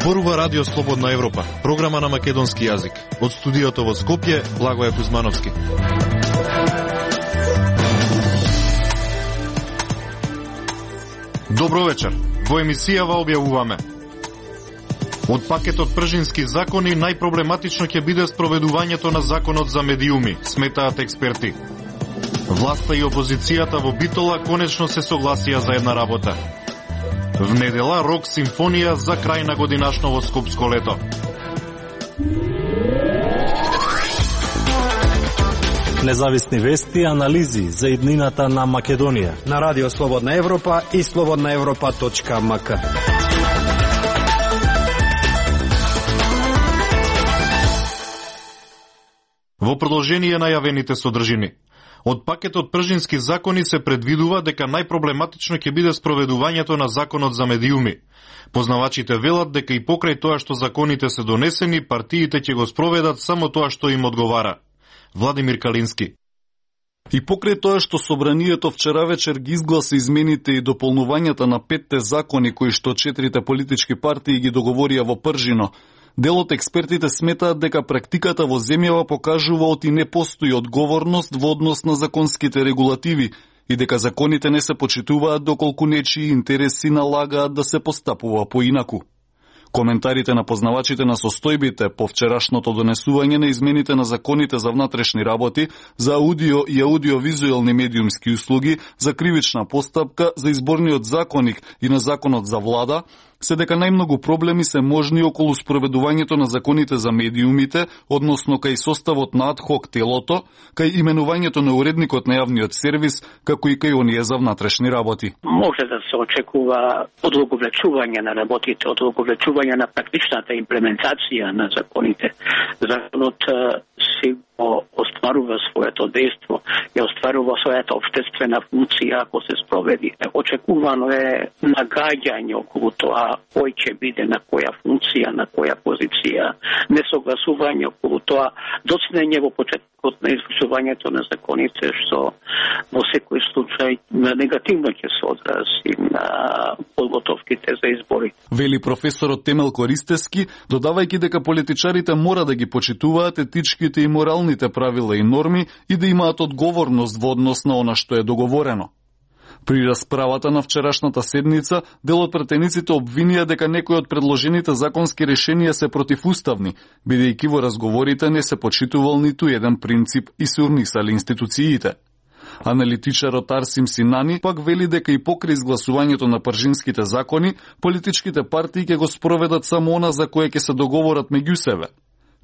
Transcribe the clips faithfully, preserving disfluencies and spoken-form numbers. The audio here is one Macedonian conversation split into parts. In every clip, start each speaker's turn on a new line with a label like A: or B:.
A: Зборува Радио Слободна Европа, програма на македонски јазик. Од студиото во Скопје, Благоје Кузмановски. Добро вечер. Во емисијава објавуваме: од пакетот пржински закони најпроблематично ќе биде спроведувањето на законот за медиуми, сметаат експерти. Власта и опозицијата во Битола конечно се согласија за една работа. В недела рок симфонија за крај на годинашно во скопско лето.
B: Независни вести и анализи за иднината на Македонија
C: на Радио Слободна Европа и слободна европа точка ем ка.
A: Во продолжение на јавените содржини. Од пакетот пржински закони се предвидува дека најпроблематично ќе биде спроведувањето на законот за медиуми. Познавачите велат дека и покрај тоа што законите се донесени, партиите ќе го спроведат само тоа што им одговара. Владимир Калински.
D: И покрај тоа што собранието вчера вечер ги изгласа измените и дополнувањата на петте закони кои што четирите политички партии ги договорија во Пржино, дел од експертите сметаат дека практиката во земјава покажува оти не постои одговорност во однос на законските регулативи и дека законите не се почитуваат доколку нечии интереси налагаат да се постапува поинаку. Коментарите на познавачите на состојбите по вчерашното донесување на измените на законите за внатрешни работи, за аудио и аудиовизуелни медиумски услуги, за кривична постапка, за изборниот законник и на законот за влада, се дека најмногу проблеми се можни околу спроведувањето на законите за медиумите, односно кај составот на адхок телото, кај именувањето на уредникот на јавниот сервис, како и кај оние за внатрешни работи.
E: Може да се очекува одолговлечување на работите, одолговлечување на практичната имплементација на законите. Законот си го остварува своето дејство и остварува својата општествена функција ако се спроведи. Очекувано е нагаѓање околу тоа кој ќе биде на која функција, на која позиција, несогласување околу тоа, доцнење во почетокот на извршувањето на законите, што во секој случај негативно ќе се одрази на подготовките за избори.
D: Вели професорот Темел Користески, додавајќи дека политичарите мора да ги почитуваат етичките и моралните правила и норми и да имаат одговорност во однос на она што е договорено. При расправата на вчерашната седница, дел од претениците обвинија дека некои од предложените законски решенија се противуставни, бидејќи во разговорите не се почитувал ниту еден принцип и се урнисали институциите. Аналитичарот Арсим Синани пак вели дека и покрај изгласувањето на пржинските закони, политичките партии ќе го спроведат само она за кое ќе се договорат меѓу себе.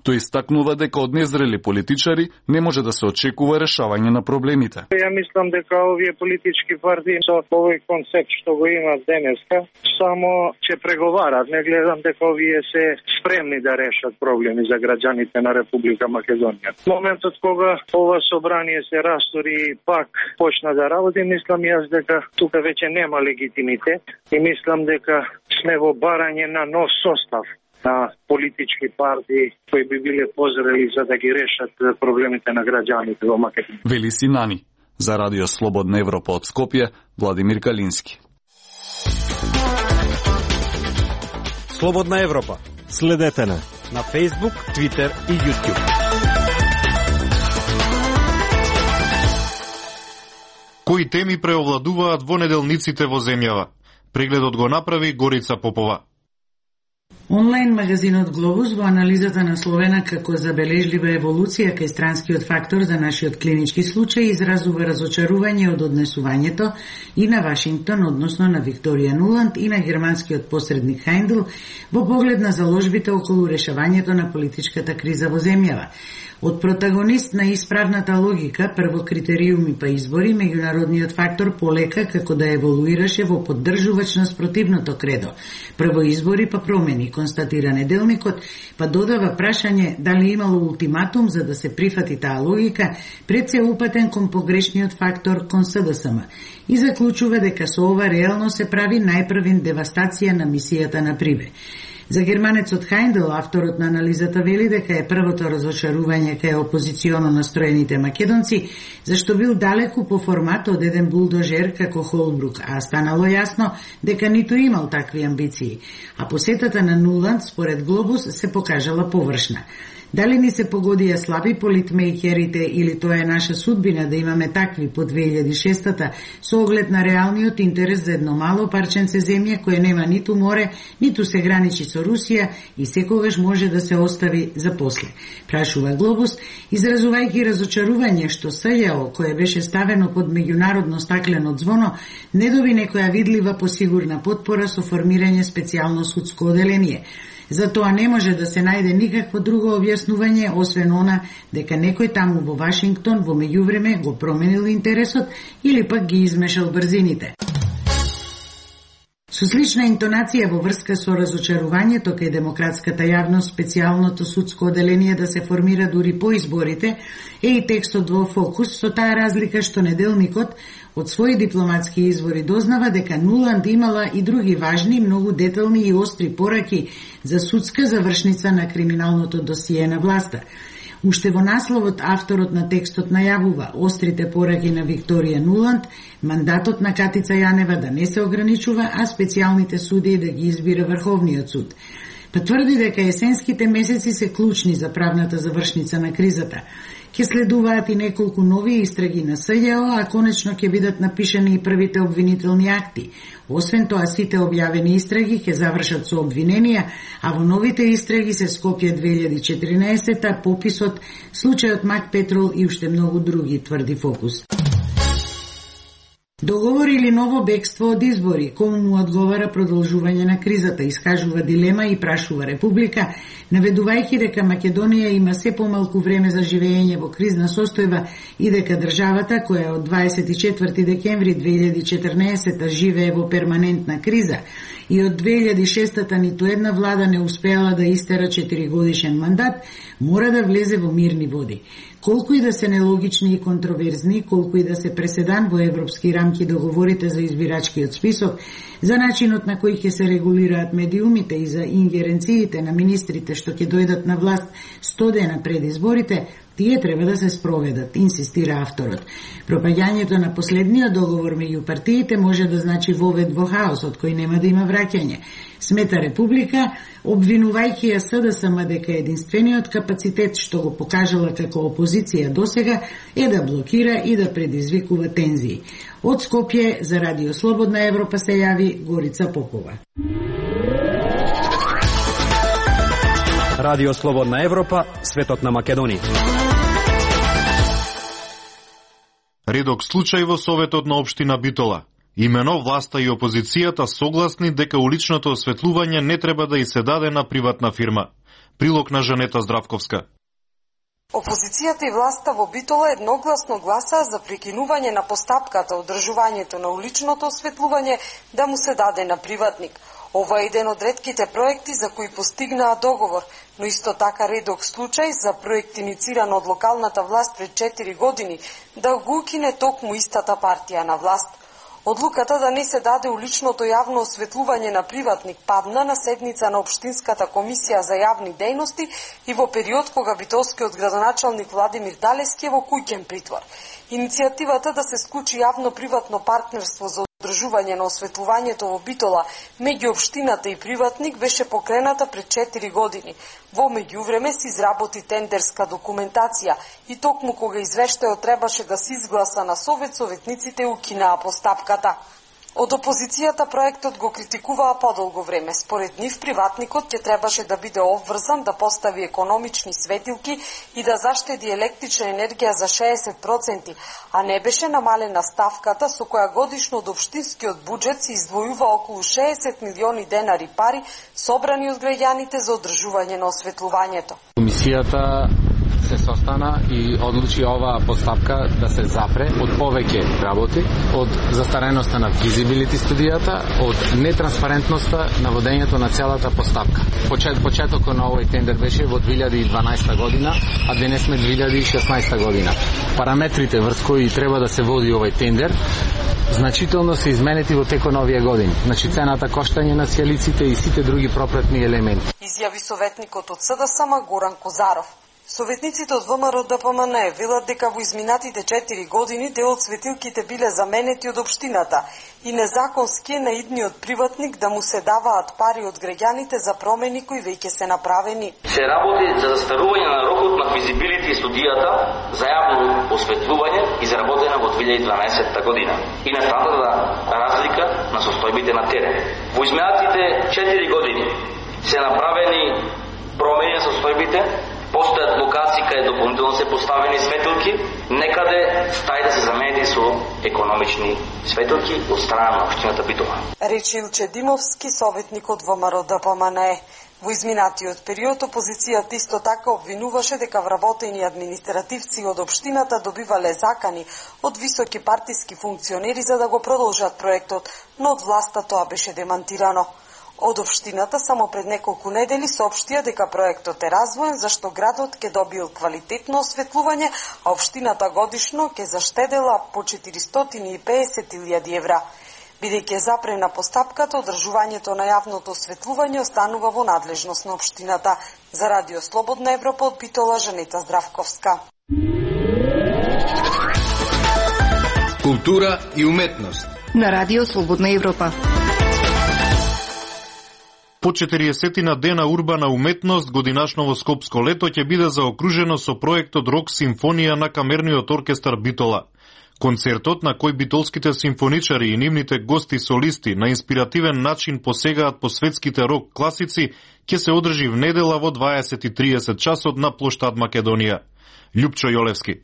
D: Тој истакнува дека од незрели политичари не може да се очекува решавање на проблемите.
F: Ја мислам дека овие политички партии со овој концепт што го имаат денеска, само ќе преговарат. Не гледам дека овие се спремни да решат проблеми за граѓаните на Република Македонија. Моментот кога ова собрание се растори и пак почна да работи, мислам јас дека тука веќе нема легитимитет и мислам дека сме во барање на нов состав на политички партии кои би биле позрели за да ги решат проблемите на граѓаните во Македонија.
D: Вели Синани. За Радио Слободна Европа од Скопје, Владимир Калински.
C: Слободна Европа.
B: Следете на
C: на Facebook, Twitter и YouTube.
A: Кои теми преовладуваат во неделниците во земјава? Прегледот го направи Горица Попова.
G: Онлайн магазинот Глобус во анализата насловена како забележлива еволуција кај странскиот фактор за нашиот клинички случај изразува разочарување од однесувањето и на Вашингтон, односно на Викторија Нуланд и на германскиот посредник Хайндл во поглед на заложбите околу решавањето на политичката криза во земјава. Од протагонист на исправната логика, прво критериуми па избори, меѓународниот фактор полека како да еволуираше во поддржувач на спротивното кредо. Прво избори па промени, констатира неделникот, па додава прашање дали имало ултиматум за да се прифати таа логика, пред се упатен кон погрешниот фактор кон С Д С М и заклучува дека со ова реално се прави најпрвин девастација на мисијата на Прибе. За германецот Хајндел, авторот на анализата вели дека е првото разочарување кај опозиционо настроените македонци, зашто бил далеку по формат од еден булдожер како Холбрук, а станало јасно дека ниту имал такви амбиции. А посетата на Нуланд, според Глобус, се покажала површна. Дали ни се погодија слаби политмейкерите или тоа е наша судбина да имаме такви по две илјади и шестата со оглед на реалниот интерес за едно мало парченце земја кое нема ниту море, ниту се граничи со Русија и секогаш може да се остави за после. Прашува Глобус, изразувајќи разочарување што СЈО, кое беше ставено под меѓународно стаклено ѕвоно, не доби некоја видлива посигурна потпора со формирање специјално судско оделение. Затоа не може да се најде никакво друго објаснување, освен она дека некој таму во Вашингтон во меѓувреме го променил интересот или пак ги измешал брзините. Со слична интонација во врска со разочарувањето кај демократската јавност специјалното судско оделение да се формира дури по изборите е и текстот во Фокус, со таа разлика што неделникот од своји дипломатски извори дознава дека Нуланд имала и други важни, многу детални и остри пораки за судска завршница на криминалното досие на власта. Уште во насловот авторот на текстот најавува острите пораки на Викторија Нуланд, мандатот на Катица Јанева да не се ограничува, а специјалните судии да ги избира Врховниот суд. Па тврди дека есенските месеци се клучни за правната завршница на кризата. Ке следуваат и неколку нови истраги на СЈО, а конечно ќе бидат напишани и првите обвинителни акти. Освен тоа, сите објавени истраги ќе завршат со обвиненија, а во новите истраги се Скопје две илјади и четиринаесета, пописот, случајот Мак Петрол и уште многу други, тврди Фокус. Договор или ново бегство од избори, кому му одговара продолжување на кризата, искажува дилема и прашува Република, наведувајќи дека Македонија има се помалку време за живење во кризна состојба и дека државата, која од дваесет и четврти декември две илјади и четрнаесета живее во перманентна криза и од две илјади и шестата ниту една влада не успеала да истера четиригодишен мандат, мора да влезе во мирни води. Колку и да се нелогични и контроверзни, колку и да се преседан во европски рамки договорите за избирачкиот список, за начинот на кој ќе се регулираат медиумите и за ингеренциите на министрите што ќе дојдат на власт сто дена пред изборите, тие треба да се спроведат, инсистира авторот. Пропаѓањето на последниот договор меѓу партиите може да значи вовед во хаос од кој нема да има враќање. Смета Република, обвинувајќи ја СДСМ дека единствениот капацитет што го покажала како опозиција досега е да блокира и да предизвикува тензии. Од Скопје за Радио Слободна Европа се јави Горица Попова.
C: Радио Слободна Европа, светот на Македонија.
A: Редок случај во Советот на општина Битола. Имено власта и опозицијата согласни дека уличното осветлување не треба да и се даде на приватна фирма. Прилог на Жанета Здравковска.
H: Опозицијата и власта во Битола едногласно гласаа за прекинување на постапката одржувањето на уличното осветлување да му се даде на приватник. Ова е еден од ретките проекти за кои постигнаа договор, но исто така редок случај за проект инициран од локалната власт пред четири години да го укине токму истата партија на власт. Одлуката да не се даде уличното јавно осветлување на приватник падна на седница на Општинската комисија за јавни дејности и во период кога битолскиот градоначалник Владимир Далевски е во куќен притвор. Иницијативата да се склучи јавно-приватно партнерство за одржување на осветлувањето во Битола меѓу општината и приватник беше покрената пред четири години. Во меѓувреме се изработи тендерска документација и токму кога извештајот требаше да се изгласа на Совет, советниците укинаа постапката. Од опозицијата проектот го критикуваа подолго време. Според нив, приватникот ќе требаше да биде обврзан да постави економични светилки и да заштеди електрична енергија за шеесет проценти, а не беше намалена ставката со која годишно од општинскиот буџет се издвојува околу шеесет милиони денари пари собрани од граѓаните за одржување на осветлувањето.
I: Комисијата се состана и одлучи оваа постапка да се запре од повеќе работи, од застареноста на физибилити студијата, од нетранспарентноста на водењето на целата постапка. Почет, почетокот на овој тендер беше во две илјади и дванаесета година, а денес сме две илјади и шеснаесета година. Параметрите врз кои треба да се води овој тендер значително се изменети во текот на овие години. Значи цената коштање на сијалиците и сите други пропратни елементи.
H: Изјави советникот од СДСМ Горан Козаров. Советниците од ВМРО-ДПМН велат дека во изминатите четири години дел од светилките биле заменети од општината и незаконски е на идниот приватник да му се даваат пари од граѓаните за промени кои веќе се направени.
J: Се работи за застарување на рокот на физибилити студијата за јавно осветлување изработена во две илјади и дванаесетта година и настаната разлика на состојбите на терен. Во изминатите четири години се направени промени на состојбите, постојат локации каде дополнително се поставени светилки, некаде стаи да се заменети со економични светилки од страна на општината Битола.
H: Рече Илче Димовски, советник од ВМРО-ДПМН. Во изминатиот период опозицијата исто така обвинуваше дека вработени административци од општината добивале закани од високи партиски функционери за да го продолжат проектот, но од власта тоа беше демантирано. Од општината само пред неколку недели соопштија дека проектот е развоен зашто градот ќе добил квалитетно осветлување, а општината годишно ќе заштедела по четиристотини и педесет илјади евра. Бидејќи е запрена постапката, одржувањето на јавното осветлување останува во надлежност на општината. За Радио Слободна Европа од Битола, Жанета Здравковска.
C: Култура и уметност
K: на Радио Слободна Европа.
A: По четириесетина дена урбана уметност, годинашново скопско лето ќе биде заокружено со проектот Рок симфонија на Камерниот оркестар Битола. Концертот, на кој битолските симфоничари и нивните гости солисти на инспиративен начин посегаат по светските рок класици, ќе се одржи в недела во дваесет и триесет часот на плоштад Македонија. Љупчо Јолевски.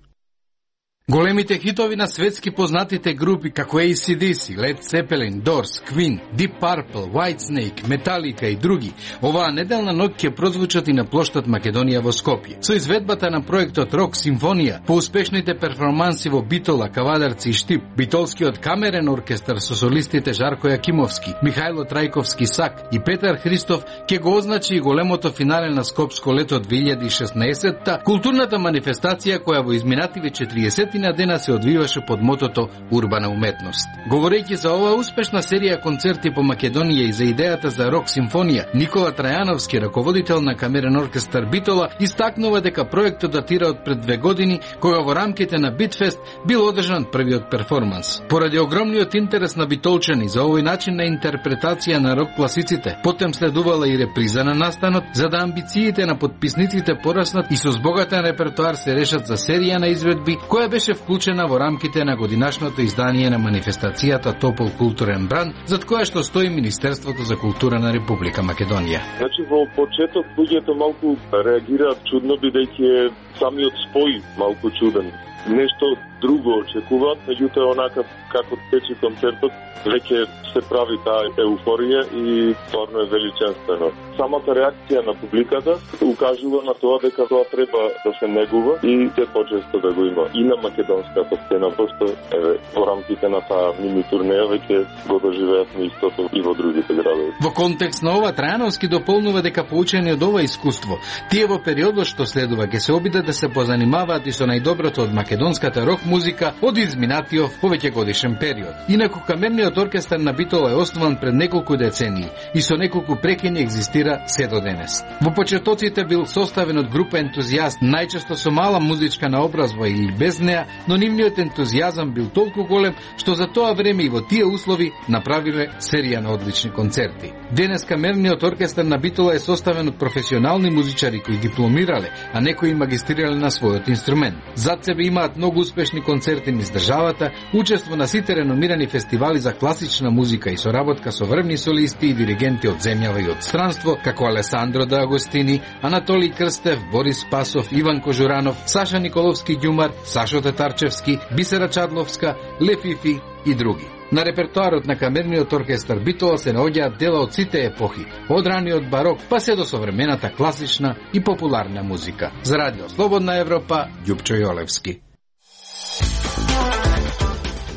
L: Големите хитови на светски познатите групи како A C D C, Led Zeppelin, Doors, Queen, Deep Purple, Whitesnake, Metallica и други, оваа неделна ноќ ќе прозвучат и на плоштад Македонија во Скопје. Со изведбата на проектот Рок симфонија, по успешните перформанси во Битола, Кавадарци и Штип, битолскиот камерен оркестар со солистите Жарко Јакимовски, Михајло Трајковски Сак и Петар Христов ќе го означи и големото финале на Скопско лето две илјади и шеснаесетта, културната манифестација која во изминативе четириесет на дена се одвиваше под мотото Урбана уметност. Говорејќи за оваа успешна серија концерти по Македонија и за идејата за Рок симфонија, Никола Трајановски, раководител на камерен оркестар Битола, истакнува дека проектот датира од пред две години, кога во рамките на Битфест бил одржан првиот перформанс. Поради огромниот интерес на битолчани за овој начин на интерпретација на рок класиците, потем следувала и реприза на настанот, за да амбициите на подписниците пораснат и со збогатен репертоар се решат за серија на изведби, која беше вклучена во рамките на годинашното издание на манифестацијата Топол културен бранд, зад која што стои Министерството за култура на Република Македонија.
M: Значи во почеток луѓето малку реагираат чудно, бидејќи е самиот спој малку чуден. Нешто друго очекуваат, меѓутоа онака како тече концертот, веќе се прави таа еуфорија и стварно е величествено. Самата реакција на публиката укажува на тоа дека тоа треба да се негува и се почесто да го има и на македонската сцена, пошто еве во рамките на таа мини турнеја веќе го доживеавме истото и во другите градови.
L: Во контекст на ова Трајановски дополнува дека поучени од ова искуство, тие во периодот што следува ќе се обидат да се позанимаваат и со најдоброто од македонската рок музика од изминатиот повеќе годишен период. Инаку камерниот оркестар на Битола е основан пред неколку децении и со неколку прекини екзистира се до денес. Во почетоците бил составен од група ентузијаст, најчесто со мала музичка наобразба или без неа, но нивниот ентузијазам бил толку голем што за тоа време и во тие услови направиле серија на одлични концерти. Денес камерниот оркестар на Битола е составен од професионални музичари кои дипломирале, а некои магистрирале на својот инструмент. Зад себе имаат многу успешни концерти низ државата, учество на сите реномирани фестивали за класична музика и соработка со врвни солисти и диригенти од земјава и од странство, како Алесандро да Агостини, Анатолий Крстев, Борис Спасов, Иван Кожуранов, Саша Николовски Ѓумар, Сашо Татарчевски, Бисера Чадловска, Лефифи и други. На репертоарот на камерниот оркестар Битола се наоѓаат дела од сите епохи, од раниот барок па се до современата класична и популарна музика. За Радио Слободна Европа, Љупчо Јолевски.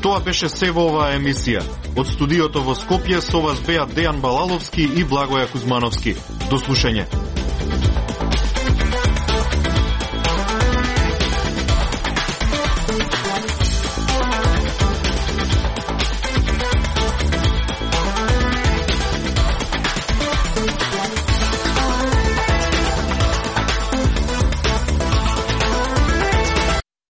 A: Тоа беше се во оваа емисија. Од студиото во Скопје со вас беа Дејан Балаловски и Благоја Кузмановски. До слушање.